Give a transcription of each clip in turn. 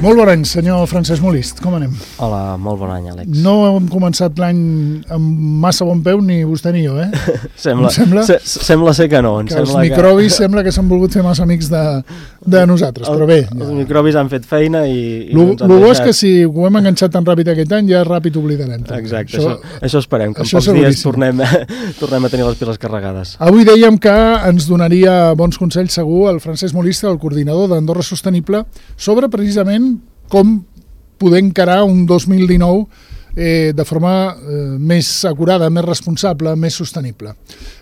Molt bon any, senyor Francesc Molist, com anem? Hola, molt bon any, Àlex. No hem començat l'any amb massa bon peu, ni vostè ni jo, eh? Sembla ser que no. Que els microbis sembla que s'han volgut fer massa amics de nosaltres, però bé. Els microbis han fet feina i el bo és que si ho hem enganxat tan ràpid aquest any, ja ràpid oblidarem. Exacte, això esperem, que en pocs dies tornem a tenir les piles carregades. Avui dèiem que ens donaria bons consells segur el Francesc Molist, el coordinador d'Andorra Sostenible, sobre precisament com poder encarar un 2019 de forma més acurada, més responsable, més sostenible.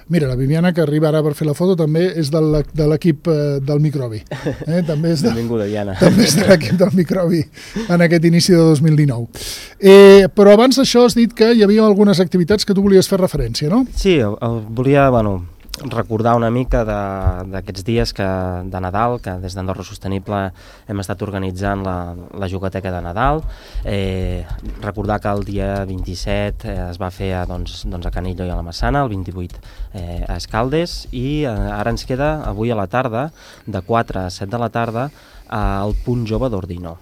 Mira, la Viviana, que arriba ara per fer la foto, també és de l'equip del microbi. Benvinguda, Diana. També és de l'equip del microbi en aquest inici de 2019. Però abans d'això has dit que hi havia algunes activitats que tu volies fer referència, no? Sí, volia, recordar una mica d'aquests dies de Nadal, que des d'Andorra Sostenible hem estat organitzant la jugateca de Nadal. Recordar que el dia 27 es va fer a Canillo i a la Massana, el 28 a Escaldes, i ara ens queda avui a la tarda, de 4 a 7 de la tarda, al Punt Jove d'Ordino.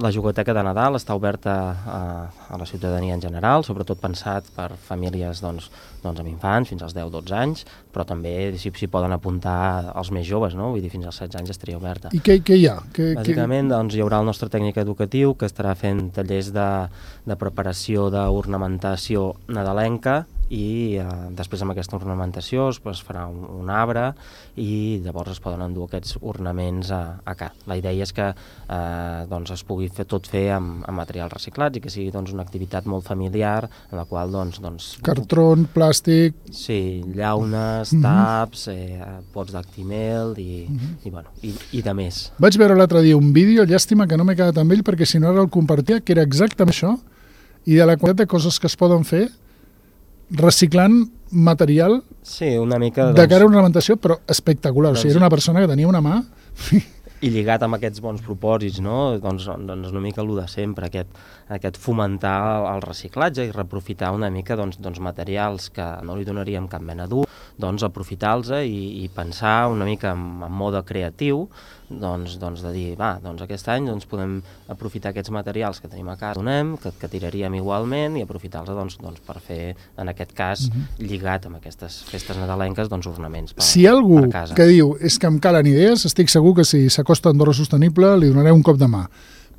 La jugateca de Nadal està oberta a la ciutadania en general, sobretot pensat per famílies amb infants fins als 10-12 anys, però també s'hi poden apuntar els més joves, no? Vull dir, fins als 16 anys estaria oberta. I què hi ha? Bàsicament hi haurà el nostre tècnic educatiu que estarà fent tallers de preparació d'ornamentació nadalenca, i després amb aquesta ornamentació es farà un arbre i llavors es poden endur aquests ornaments a casa. La idea és que es pugui fer amb materials reciclats i que sigui una activitat molt familiar en la qual cartró, plàstic... Sí, llaunes, taps, pots d'actimel i de més. Vaig veure l'altre dia un vídeo, llàstima que no m'he quedat amb ell perquè si no ara el compartia, que era exactament això, i de la quantitat de coses que es poden fer reciclant material una mica, de cara a ornamentació, però espectacular. O sigui, era una persona que tenia una mà... I lligat amb aquests bons propòsits, no? Doncs una mica el de sempre, aquest fomentar el reciclatge i reaprofitar una mica materials que no li donaríem cap mena d'ús, aprofitar-los i pensar una mica en mode creatiu, de dir, aquest any podem aprofitar aquests materials que tenim a casa, que tiraríem igualment, i aprofitar-los per fer, en aquest cas, lligat amb aquestes festes nadalenques, ornaments per a casa. Si hi ha algú que diu és que em calen idees, estic segur que si s'acosta a Andorra Sostenible li donaré un cop de mà.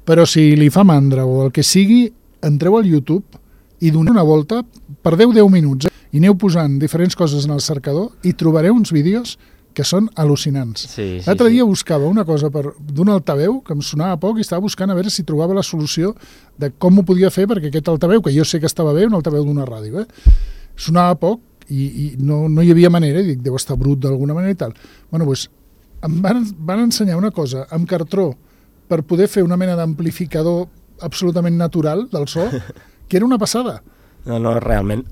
Però si li fa mandra o el que sigui, entreu al YouTube i doneu una volta, perdeu 10 minuts i aneu posant diferents coses en el cercador i trobareu uns vídeos que són al·lucinants. L'altre dia buscava una cosa d'un altaveu que em sonava poc i estava buscant a veure si trobava la solució de com ho podia fer, perquè aquest altaveu, que jo sé que estava bé, un altaveu d'una ràdio, sonava poc i no hi havia manera, i dic, deu estar brut d'alguna manera i tal. Doncs em van ensenyar una cosa amb cartró per poder fer una mena d'amplificador absolutament natural del so, que era una passada. No, realment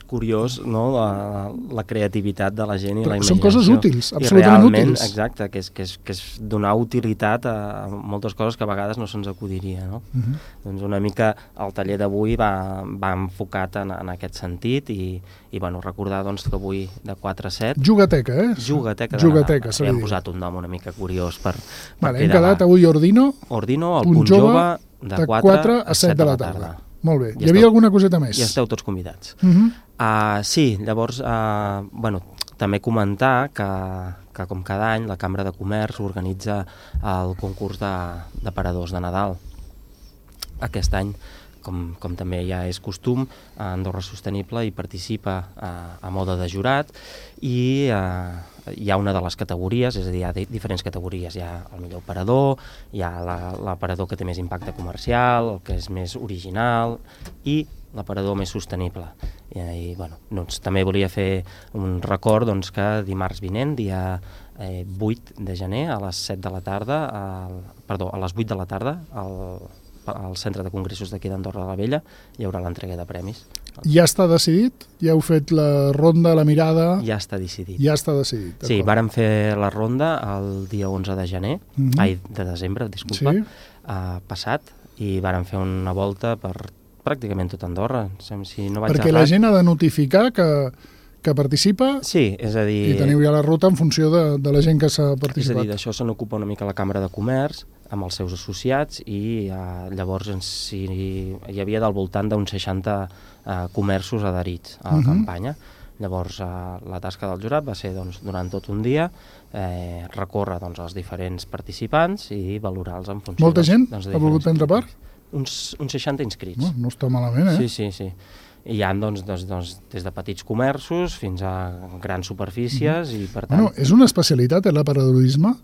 curiós, no? La creativitat de la gent i la imaginació. Són coses útils, absolutament útils. Exacte, que és donar utilitat a moltes coses que a vegades no se'ns acudiria, no? Doncs una mica el taller d'avui va enfocat en aquest sentit i recordar que avui de 4 a 7... Jugateca, Jugateca, hem posat un nom una mica curiós per hem quedat avui Ordino, al Punt Jove, de 4 a 7 de la tarda. Molt bé. Hi havia alguna coseta més? I esteu tots convidats. Sí, llavors, també comentar que com cada any la Cambra de Comerç organitza el concurs d'aparadors de Nadal. Aquest any, com també ja és costum, Andorra Sostenible hi participa a mode de jurat i hi ha una de les categories, és a dir, hi ha diferents categories. Hi ha el millor aparador, hi ha l'aparador que té més impacte comercial, el que és més original i l'aparador més sostenible. I també volia fer un record que dimarts vinent, dia 8 de gener, a les 7 de la tarda, a les 8 de la tarda, al Centre de Congressos d'aquí d'Andorra de la Vella, hi haurà l'entrega de premis. Ja està decidit? Ja heu fet la ronda, la mirada? Ja està decidit. Ja està decidit. Sí, vàrem fer la ronda el dia 11 de gener, de desembre, disculpa, passat, i vàrem fer una volta per pràcticament tot Andorra. Perquè la gent ha de notificar que participa? Sí, és a dir... I teniu ja la ruta en funció de la gent que s'ha participat. És a dir, d'això se n'ocupa una mica la Cambra de Comerç. amb els seus associats i llavors hi havia del voltant d'uns 60 comerços adherits a la campanya. Llavors la tasca del jurat va ser durant tot un dia recórrer els diferents participants i valorar-los en funció... Molta gent ha volgut prendre part? Uns 60 inscrits. No està malament, eh? Sí. I hi ha des de petits comerços fins a grans superfícies i per tant... És una especialitat, l'aparadorisme?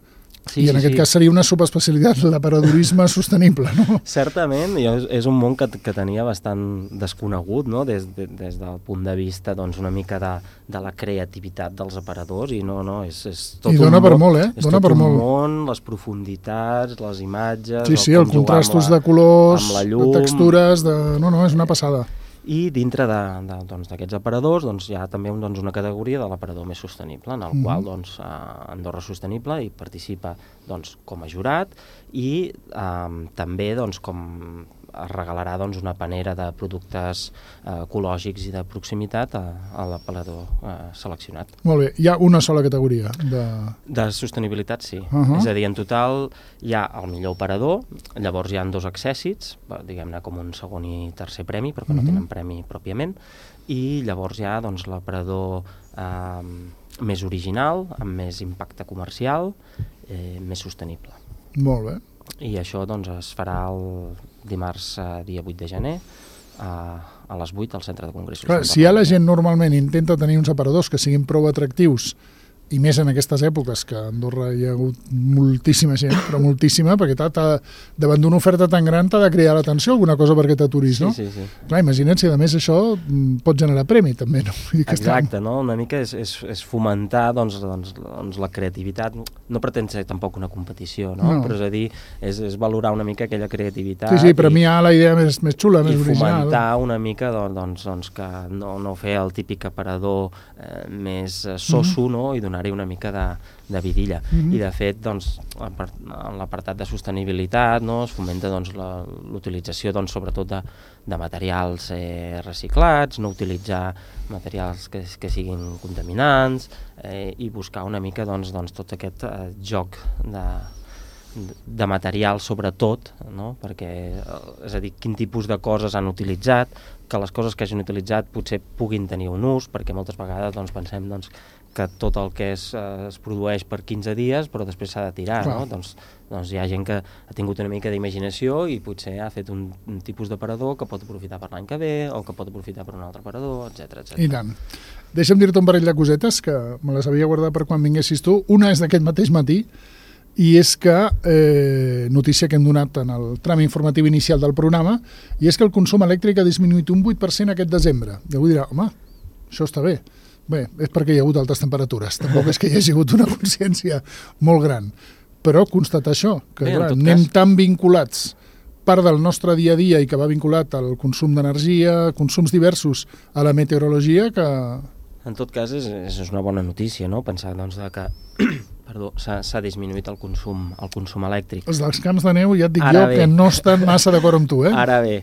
I en aquest cas seria una subespecialitat, l'aparadorisme sostenible, no? Certament, és un món que tenia bastant desconegut, no? Des del punt de vista una mica de la creativitat dels aparadors i és tot un món. I dona per molt, És tot un món, les profunditats, les imatges... Sí, els contrastos de colors, de textures, és una passada. I dintre d'aquests aparadors hi ha també una categoria de l'aparador més sostenible, en el qual Andorra Sostenible hi participa com a jurat i també com es regalarà una panera de productes ecològics i de proximitat a l'aparador seleccionat. Molt bé, hi ha una sola categoria de sostenibilitat, sí. És a dir, en total hi ha el millor aparador, llavors hi ha 2 accèssits, diguem-ne com un segon i tercer premi, però que no tenen premi pròpiament, i llavors hi ha l'aparador més original, amb més impacte comercial, més sostenible. Molt bé. I això es farà el dimarts dia 8 de gener a les 8 al Centre de Congressos. Clar, si la gent normalment intenta tenir uns aparadors que siguin prou atractius, i més en aquestes èpoques que a Andorra hi ha hagut moltíssima gent, però moltíssima, perquè davant d'una oferta tan gran t'ha de crear l'atenció alguna cosa perquè t'aturis, no? Sí. Clar, imagina't si a més això pot generar premi també, no? Exacte, no? Una mica és fomentar la creativitat, no pretén ser tampoc una competició, no? Però és a dir, és valorar una mica aquella creativitat. Sí, premiar la idea més xula, més original. I fomentar una mica que no fer el típic aparador més soso, no? I donar-hi una mica de vidilla. I de fet, en l'apartat de sostenibilitat es fomenta l'utilització sobretot de materials reciclats, no utilitzar materials que siguin contaminants i buscar una mica tot aquest joc de material sobretot, no? Perquè, és a dir, quin tipus de coses han utilitzat, que les coses que hagin utilitzat potser puguin tenir un ús, perquè moltes vegades pensem que tot el que es produeix per 15 dies però després s'ha de tirar, no? Doncs hi ha gent que ha tingut una mica d'imaginació i potser ha fet un tipus d'aparador que pot aprofitar per l'any que ve o que pot aprofitar per un altre aparador, etc. I tant. Deixa'm dir-te un parell de cosetes que me les havia guardat per quan vinguessis tu. Una és d'aquest mateix matí i és que, notícia que hem donat en el tram informatiu inicial del programa, i és que el consum elèctric ha disminuït un 8% aquest desembre. I algú dirà, home, això està bé. Bé, és perquè hi ha hagut altes temperatures, tampoc és que hi hagi hagut una consciència molt gran, però constatar això, que anem tan vinculats, part del nostre dia a dia i que va vinculat al consum d'energia, consums diversos, a la meteorologia, que... En tot cas, és una bona notícia, no? Pensar que s'ha disminuït el consum elèctric. Els dels camps de neu, ja et dic que no estan massa d'acord amb tu, eh? Ara bé,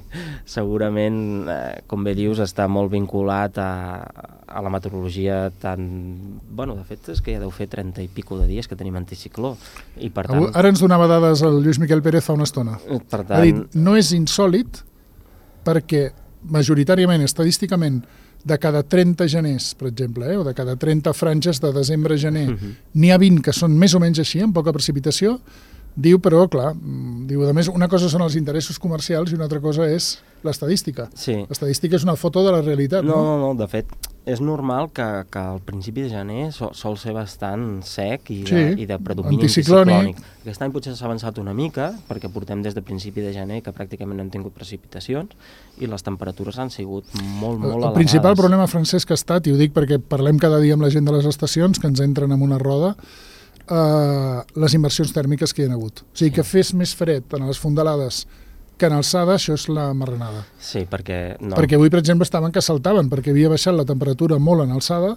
segurament, com bé dius, està molt vinculat a la meteorologia tan... Bueno, de fet, és que ja deu fer 30 i pico de dies que tenim anticicló. I per tant... Ara ens donava dades el Lluís Miquel Pérez fa una estona. Per tant... Ha dit, no és insòlit perquè majoritàriament, estadísticament, de cada 30 geners, per exemple, o de cada 30 franges de desembre a gener, n'hi ha 20 que són més o menys així, amb poca precipitació, diu, però, clar, diu, a més, una cosa són els interessos comercials i una altra cosa és l'estadística. Sí. L'estadística és una foto de la realitat, no? No, de fet, és normal que al principi de gener sol ser bastant sec i de predomini anticiclònic. Aquest any potser s'ha avançat una mica, perquè portem des de principi de gener que pràcticament no hem tingut precipitacions i les temperatures han sigut molt elevades. El principal problema, Francesc, ha estat, i ho dic perquè parlem cada dia amb la gent de les estacions, que ens entren en una roda, les inversions tèrmiques que hi ha hagut. O sigui, que fes més fred en les fondalades que en alçada, això és la marranada. Sí, perquè... No. Perquè avui, per exemple, estaven que saltaven, perquè havia baixat la temperatura molt en alçada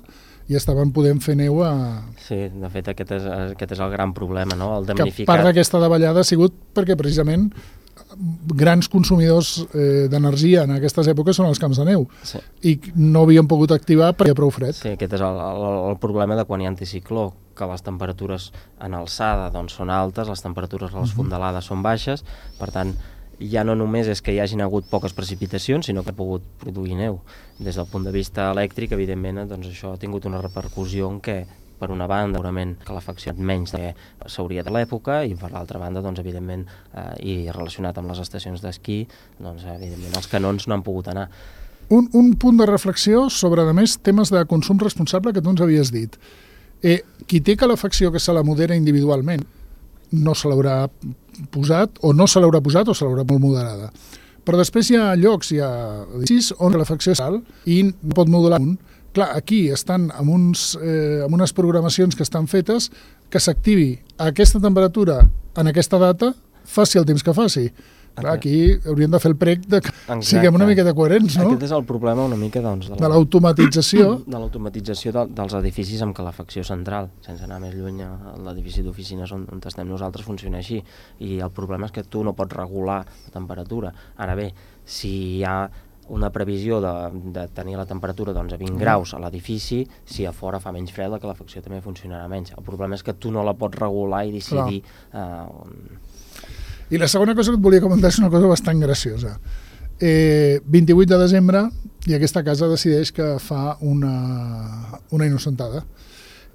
i estaven podent fer neu a... Sí, de fet, aquest és el gran problema, no? El damnificat... Que part d'aquesta davallada ha sigut perquè, precisament, grans consumidors d'energia en aquestes èpoques són els camps de neu, Sí. i no havien pogut activar perquè hi ha prou fred. Sí, aquest és el problema de quan hi ha anticicló, que les temperatures en alçada doncs, són altes, les temperatures a les fondalades són baixes, per tant, ja no només és que hi hagin hagut poques precipitacions, sinó que ha pogut produir neu. Des del punt de vista elèctric, evidentment, doncs això ha tingut una repercussió en què, per una banda, segurament calefacció menys del que s'hauria de l'època, i per l'altra banda, doncs, evidentment, i relacionat amb les estacions d'esquí, doncs, evidentment, els canons no han pogut anar. Un punt de reflexió sobre, a més, temes de consum responsable que tu ens havies dit. Qui té calefacció que se la modera individualment no se l'haurà posat, o no se l'haurà posat, o se l'haurà molt moderada. Però després hi ha llocs, hi ha edificis on la calefacció és alt i no pot modular un. Clar, aquí estan amb unes programacions que estan fetes que s'activi a aquesta temperatura en aquesta data, faci el temps que faci. Clar, aquí hauríem de fer el prec de que siguem una miqueta coherents, no? Aquest és el problema una mica doncs, de l'automatització. De l'automatització dels edificis amb calefacció central, sense anar més lluny, l'edifici d'oficines on estem nosaltres funciona així, i el problema és que tu no pots regular la temperatura. Ara bé, si hi ha una previsió de tenir la temperatura doncs, a 20 graus a l'edifici, si a fora fa menys fred, la calefacció també funcionarà menys. El problema és que tu no la pots regular i decidir... I la segona cosa que et volia comentar és una cosa bastant graciosa. 28 de desembre i aquesta casa decideix que fa una innocentada.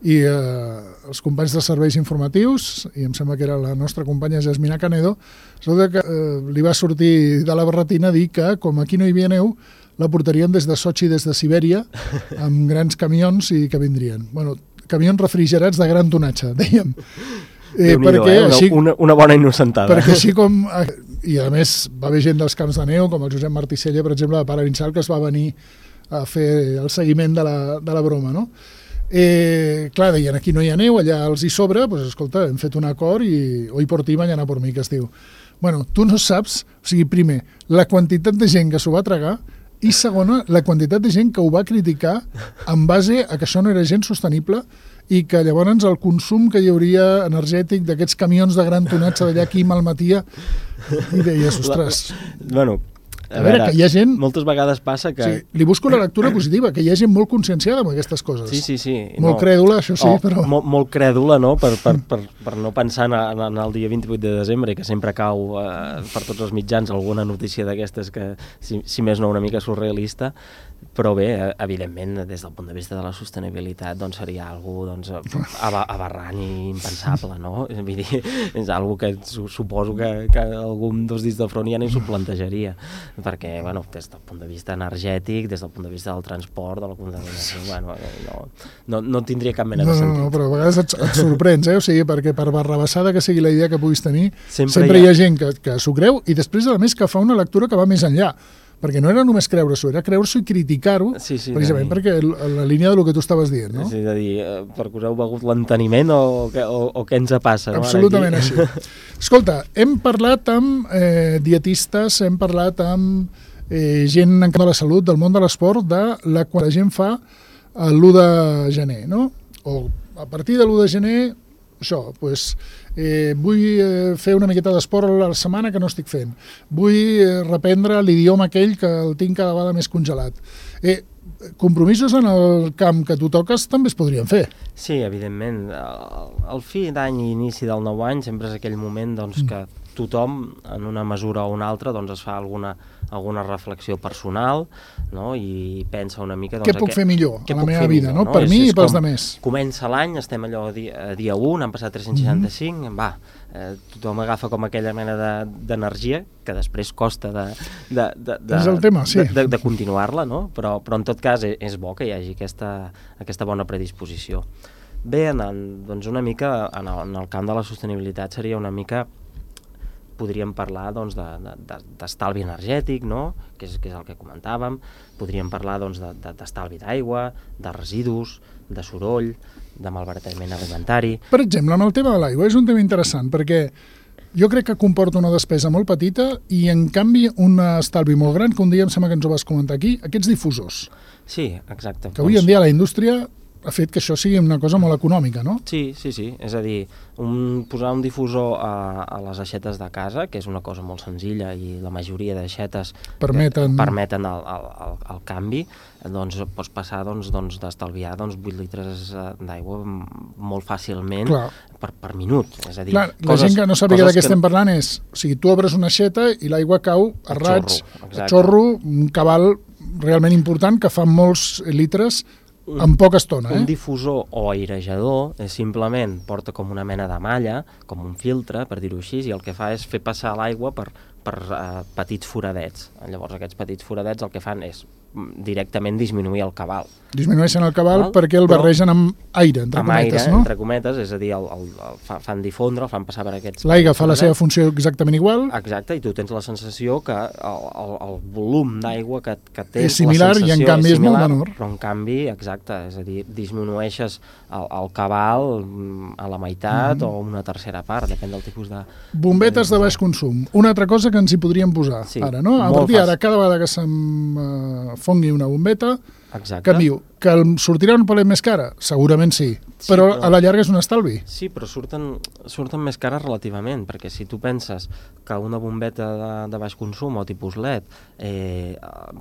I els companys de serveis informatius, i em sembla que era la nostra companya Jasmina Canedo, que li va sortir de la barretina dir que, com aquí no hi havia neu, la portarien des de Sochi, des de Sibèria, amb grans camions i que vindrien. Bueno, camions refrigerats de gran tonatge, dèiem. Perquè així, una bona innocentada. Perquè així com... I a més va haver gent dels camps de neu, com el Josep Marticella, per exemple, de Palarinxal, que es va venir a fer el seguiment de la broma, no? Clar, deien, aquí no hi ha neu, allà els hi sobra, doncs escolta, hem fet un acord i hoy por ti, mañana por mí, que es diu. Bueno, tu no saps, o sigui, primer, la quantitat de gent que s'ho va tragar, i segona, la quantitat de gent que ho va criticar en base a que això no era gens sostenible i que llavors el consum que hi hauria energètic d'aquests camions de gran tonatge d'allà aquí malmetia, i deies, ostres... Bueno, a veure, que hi ha gent... Moltes vegades passa que... Sí, li busco la lectura positiva, que hi ha gent molt conscienciada amb aquestes coses. Sí. Molt crèdula, això sí, però... Molt crèdula, no?, per no pensar en el dia 28 de desembre, que sempre cau per tots els mitjans alguna notícia d'aquestes que, si més no, una mica surrealista, però bé, evidentment, des del punt de vista de la sostenibilitat, doncs seria algo doncs, aberrant i impensable, no? Vull dir, és algo que suposo que algun dels dits de front ja ni s'ho plantejaria, perquè, bueno, des del punt de vista energètic, des del punt de vista del transport, de la contaminació, bueno, no tindria cap mena de sentit. No, però a vegades et sorprens, o sigui, perquè per barrabassada que sigui la idea que puguis tenir, sempre hi ha gent que s'ho creu i després, a més, que fa una lectura que va més enllà. Perquè no era només creure-s'ho, era creure-s'ho i criticar-ho, precisament perquè la línia del que tu estaves dient, no? Sí, de dir, perquè us heu begut l'enteniment o què ens passa? Absolutament així. Escolta, hem parlat amb dietistes, hem parlat amb gent encarregada de la salut, del món de l'esport, de quan la gent fa l'1 de gener, no? O a partir de l'1 de gener, això, doncs... vull fer una miqueta d'esport a la setmana que no estic fent. Vull reprendre l'idioma aquell que el tinc cada vegada més congelat. Compromisos en el camp que tu toques també es podrien fer. Sí, evidentment. El fi d'any i inici del nou any sempre és aquell moment doncs, que tothom, en una mesura o una altra, doncs, es fa alguna reflexió personal, no? I pensa una mica... Doncs, què puc fer millor a la meva vida, no? Per mi i pels altres. Comença l'any, estem allò dia 1, han passat 365, tothom agafa com aquella mena d'energia que després costa de continuar-la, no? Però en tot cas és bo que hi hagi aquesta bona predisposició. Bé, doncs una mica en el camp de la sostenibilitat seria una mica... podríem parlar doncs, d'estalvi energètic, no? que és el que comentàvem, podríem parlar doncs, d'estalvi d'aigua, de residus, de soroll, de malbaratament alimentari... Per exemple, amb el tema de l'aigua és un tema interessant, perquè jo crec que comporta una despesa molt petita i, en canvi, un estalvi molt gran, que un dia em sembla que ens ho vas comentar aquí, aquests difusors. Sí, exacte. Que avui en dia la indústria ha fet que això sigui una cosa molt econòmica, no? Sí. És a dir, posar un difusor a les aixetes de casa, que és una cosa molt senzilla i la majoria d'aixetes permeten el canvi, doncs pots passar d'estalviar 8 litres d'aigua molt fàcilment per minut. És a dir, la gent que no sàpiga de què estem parlant és, o sigui, tu obres una aixeta i l'aigua cau a raig, a xorro, un cabal realment important que fa molts litres en poca estona. Un difusor o airejador simplement porta com una mena de malla, com un filtre, per dir-ho així, i el que fa és fer passar l'aigua per petits foradets. Llavors aquests petits foradets el que fan és directament disminuir el cabal. Disminueixen el cabal perquè el barregen amb aire, entre cometes, no? Entre cometes, és a dir, fan difondre, el fan passar per aquests... L'aigua fa la seva funció exactament igual. Exacte, i tu tens la sensació que el volum d'aigua que tens... És similar i en canvi és molt menor. Però en canvi, exacte, és a dir, disminueixes el cabal a la meitat o una tercera part, depèn del tipus de... Bombetes de baix consum. Una altra cosa que ens hi podríem posar ara, no? A partir d'ara, cada vegada que se'm fongui una bombeta, canvio. Que em sortirà un palet més cara? Segurament sí, però a la llarga és un estalvi. Sí, però surten més cares relativament, perquè si tu penses que una bombeta de baix consum o tipus LED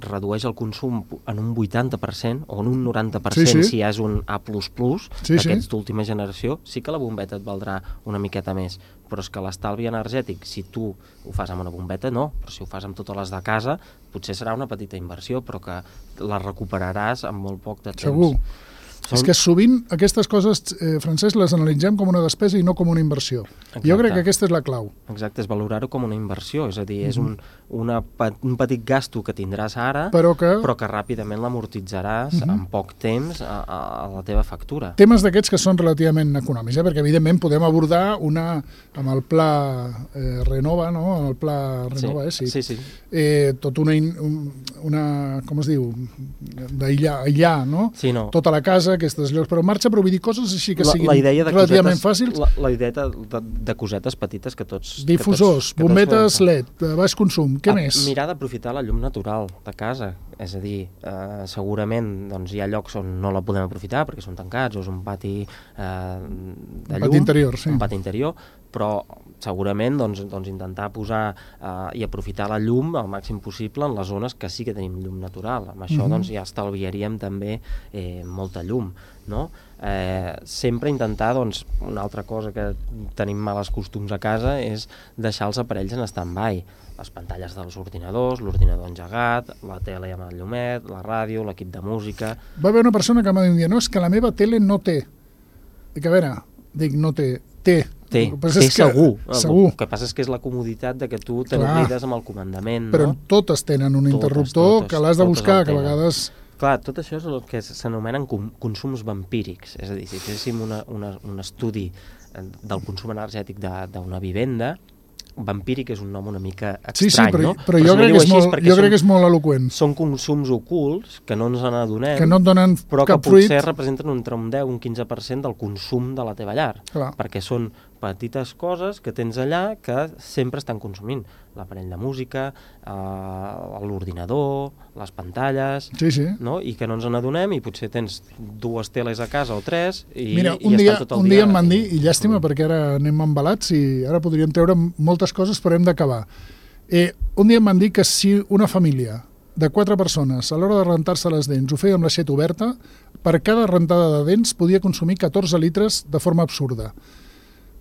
redueix el consum en un 80% o en un 90% si és un A++, d'aquests d'última generació, sí que la bombeta et valdrà una miqueta més, però és que l'estalvi energètic, si tu ho fas amb una bombeta, no, però si ho fas amb totes les de casa, potser serà una petita inversió, però que la recuperaràs en molt poc de temps. Segur. És que sovint aquestes coses, Francesc, les analitzem com una despesa i no com una inversió. Jo crec que aquesta és la clau. Exacte, és valorar-ho com una inversió, és a dir, és un petit gasto que tindràs ara, però que ràpidament l'amortitzaràs en poc temps a la teva factura. Temes d'aquests que són relativament econòmics, perquè evidentment podem abordar amb el pla Renova, no? Amb el pla Renova, sí. Tot una com es diu, d'aïllar, no? Sí, no. Tota la casa, aquests llocs, però en marxa, però vull dir coses així que siguin relativament fàcils. La idea de cosetes petites que tots... Difusors, bombetes LED, de baix consum, què més? Mirar d'aprofitar la llum natural de casa, és a dir, segurament hi ha llocs on no la podem aprofitar perquè són tancats o és un pati de llum, un pati interior, però segurament intentar posar i aprofitar la llum al màxim possible en les zones que sí que tenim llum natural. Amb això ja estalviaríem també molta llum, no? Sempre intentar, una altra cosa que tenim males costums a casa és deixar els aparells en stand-by. Les pantalles dels ordinadors, l'ordinador engegat, la tele amb el llumet, la ràdio, l'equip de música... Va haver una persona que m'ha dit un dia, no, és que la meva tele no té. Dic, a veure, no té, té. Té segur. El que passa és que és la comoditat de que tu te n'oblides amb el comandament. Però totes tenen un interruptor que l'has de buscar, que a vegades... Clar, tot això és el que s'anomenen consums vampírics. És a dir, si féssim un estudi del consum energètic d'una vivenda, vampíric és un nom una mica estrany, no? Però jo crec que és molt eloqüent. Són consums ocults que no ens n'adonem, que no et donen però que potser representen entre un 10 i un 15% del consum de la teva llar. Perquè són petites coses que tens allà que sempre estan consumint. L'aparell de música, l'ordinador, les pantalles, no? I que no ens n'adonem i potser tens 2 teles a casa o 3 i estan tot el dia... Un dia em van dir, i llàstima perquè ara anem embalats i ara podríem treure moltes coses però hem d'acabar. Un dia em van dir que si una família de 4 persones a l'hora de rentar-se les dents ho feia amb l'aixeta oberta, per cada rentada de dents podia consumir 14 litres de forma absurda.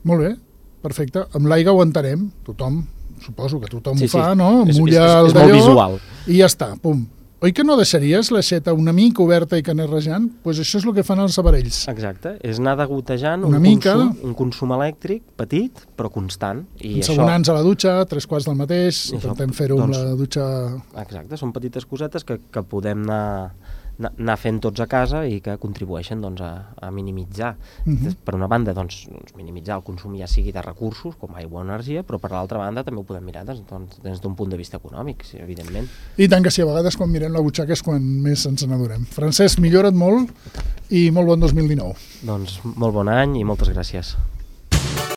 Molt bé, perfecte. Amb l'aigua ho entenem, tothom, suposo que tothom ho fa, no? Mulla el d'allò i ja està, pum. Oi que no deixaries l'aixeta una mica oberta i que anés rejant? Doncs això és el que fan els aparells. Exacte, és anar degotejant un consum elèctric petit però constant. Ensabonants a la dutxa, 3/4 del mateix, intentem fer-ho amb la dutxa... Exacte, són petites cosetes que podem anar fent tots a casa i que contribueixen a minimitzar. Per una banda, minimitzar el consum ja sigui de recursos, com aigua o energia, però per l'altra banda també ho podem mirar des d'un punt de vista econòmic, evidentment. I tant que sí, a vegades quan mirem la butxaca és quan més ens n'adonem. Francesc, millora't molt i molt bon 2019. Molt bon any i moltes gràcies.